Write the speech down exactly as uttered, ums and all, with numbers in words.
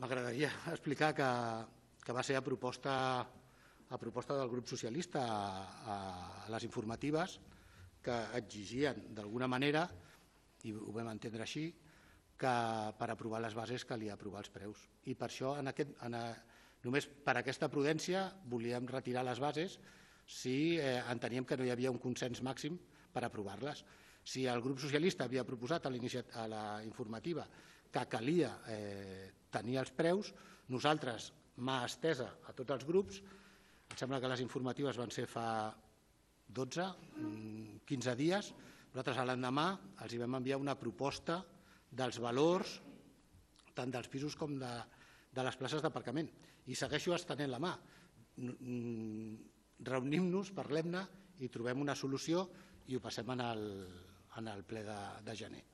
M'agradaria explicar que, que va ser a proposta, a proposta del grup socialista a, a les informatives que exigien d'alguna manera, i ho vam entendre així, que per aprovar les bases calia aprovar els preus. I per això, en aquest, en a, només per aquesta prudència, volíem retirar les bases si eh, enteníem que no hi havia un consens màxim per aprovar-les. Si el grup socialista havia proposat a, a la informativa que calia eh, tenir els preus, nosaltres, mà estesa a tots els grups, em sembla que les informatives van ser fa dotze, quinze dies, nosaltres a l'endemà els hi vam enviar una proposta dels valors tant dels pisos com de, de les places d'aparcament. I segueixo estenent la mà. Reunim-nos, parlem-ne i trobem una solució i ho passem en el, en el ple de, de gener.